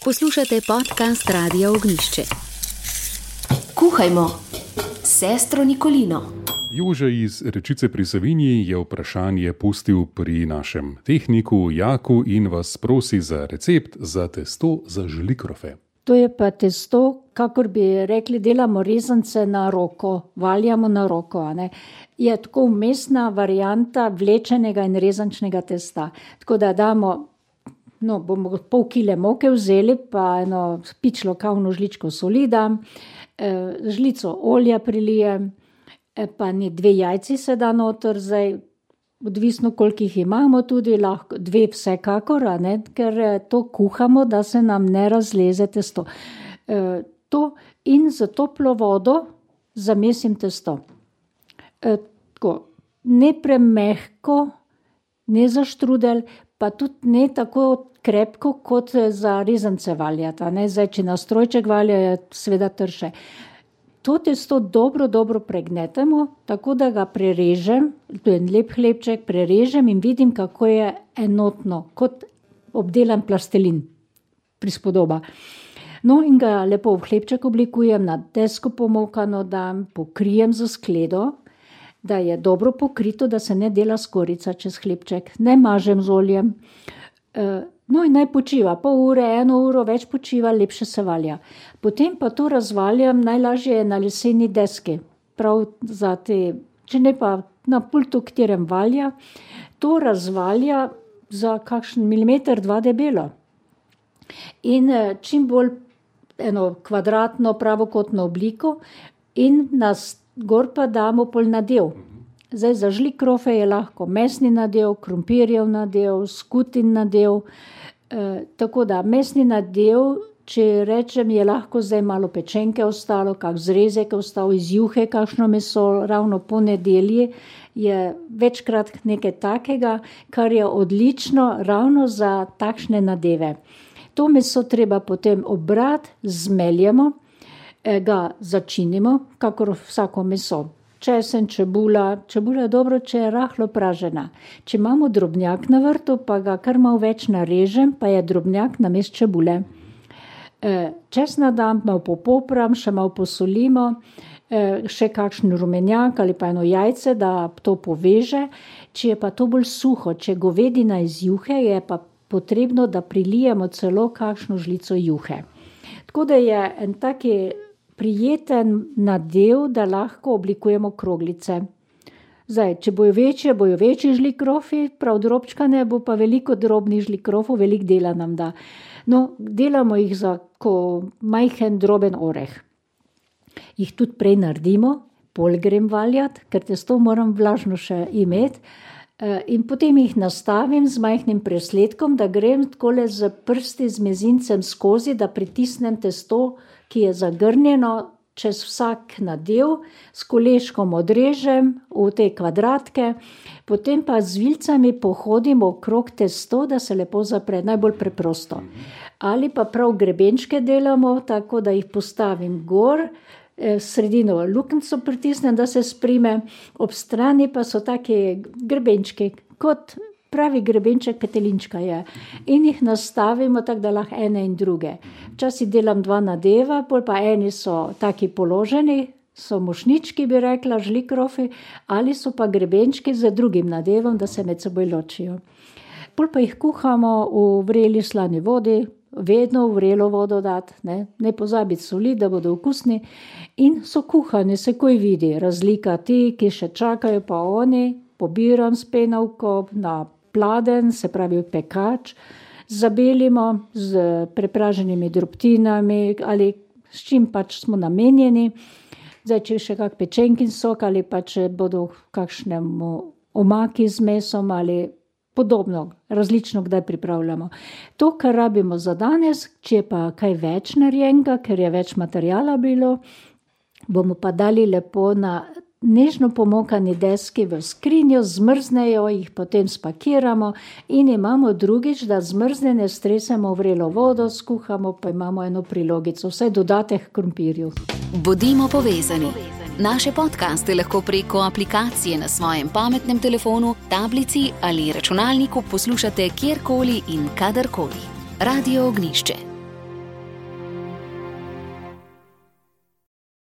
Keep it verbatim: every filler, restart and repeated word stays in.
Poslušate podcast Radia Ognjišče. Kuhajmo, sestro Nikolino. Jože iz Rečice pri Savinji je vprašanje pustil pri našem tehniku Jaku in vas prosi za recept za testo za žlikrofe. To je pa testo, kakor bi rekli, delamo rezance na roko, valjamo na roko. A ne? Je tako vmesna varianta vlečenega in rezančnega testa. Tako da damo, no, bomo pol kile moke vzeli, pa eno pičlo kavno žličko soli dam, žlico olja prilijem, pa ni dve jajci se da noter, zdaj odvisno koliko jih imamo tudi, lahko dve vsekakor, a ne, ker to kuhamo, da se nam ne razleze testo. E, to in za toplo vodo zamesim testo. E, tako, ne premehko, ne za štrudel, pa tudi ne tako krepko, kot za rezance valjati, a ne, zdaj, če na strojček valja, je seveda trše. To testo dobro, dobro pregnetemo, tako da ga prerežem, to je en lep hlebček, prerežem in vidim, kako je enotno, kot obdelan plastelin, prispodoba. No in ga lepo v hlebček oblikujem, na desko pomokano dam, pokrijem za skledo, da je dobro pokrito, da se ne dela skorica čez hlebček, ne mažem z oljem. No in naj počiva, pol ure, eno uro več počiva, lepše se valja. Potem pa to razvaljam, najlažje je na leseni deski, prav za te, če ne pa na pultu, katerem valja, to razvalja za kakšen milimeter, dva debelo. In čim bolj eno kvadratno, pravokotno obliko in nas gor pa damo pol nadev. Zdaj za žlikrofe je lahko mesni nadev, krompirjev nadev, skutin nadev, e, tako da mesni nadev, če rečem, je lahko zdaj malo pečenke ostalo, kak zrezek ostal iz juhe, kakšno meso, ravno po nedelji je večkrat nekaj takega, kar je odlično ravno za takšne nadeve. To meso treba potem obrati, zmeljemo, e, ga začinimo, kakor vsako meso. Česen, čebula, čebula je dobro, če je rahlo pražena. Če imamo drobnjak na vrtu, pa ga kar malo več narežem, pa je drobnjak namesto čebule. E, česna dam, malo popopram, še malo posolimo, e, še kakšen rumenjak ali pa eno jajce, da to poveže. Če je pa to bolj suho, če govedina iz juhe, je pa potrebno, da prilijemo celo kakšno žlico juhe. Tako da je en taki prijeten nadev, da lahko oblikujemo kroglice. Zdaj, če bojo večje, bojo večji žlikrofi, prav drobčkane, bo pa veliko drobnih žlikrofov, veliko dela nam da. No, delamo jih za ko majhen droben oreh. Jih tudi prej naredimo, pol grem valjati, ker testo moram vlažno še imeti, in potem jih nastavim z majhnim presledkom, da grem takole z prsti, z mezincem skozi, da pritisnem testo, ki je zagrnjeno čez vsak nadev, s koleškom odrežem v te kvadratke, potem pa z vilicami pohodim okrog testo, da se lepo zapre, najbolj preprosto. Ali pa prav grebenčke delamo, tako da jih postavim gor, sredino luknjico pritisnem, da se sprime, ob strani pa so taki grebenčki, kot pravi grebenček petelinčka je. In jih nastavimo tako, da lahko ene in druge. Včasih delam dva nadeva, pol pa eni so taki položeni, so mošnički, bi rekla, žlikrofi, ali so pa grebenčki z drugim nadevom, da se med seboj ločijo. Pol pa jih kuhamo v vreli slani vodi, vedno v vrelo vodo dati, ne, ne pozabiti soli, da bodo okusni. In so kuhani, se koj vidi, razlika ti, ki še čakajo, pa oni, pobiram s penavko na pladen, se pravi pekač, zabelimo z prepraženimi drobtinami ali s čim pač smo namenjeni. Zdaj, če še kak pečenkin sok ali pa če bodo kakšnemu omaki z mesom ali podobno, različno kdaj pripravljamo. To, kar rabimo za danes, če je pa kaj več narejenega, ker je več materijala bilo, bomo pa dali lepo na nežno pomokani deski v skrinjo, zmrznejo, jih potem spakiramo in imamo drugič, da zmrznjene stresemo v vrelo vodo, skuhamo, pa imamo eno prilogico, vsaj dodatek k krompirju. Bodimo povezani. Naše podcaste lahko preko aplikacije na svojem pametnem telefonu, tablici ali računalniku poslušate kjerkoli in kadarkoli. Radio Ognjišče.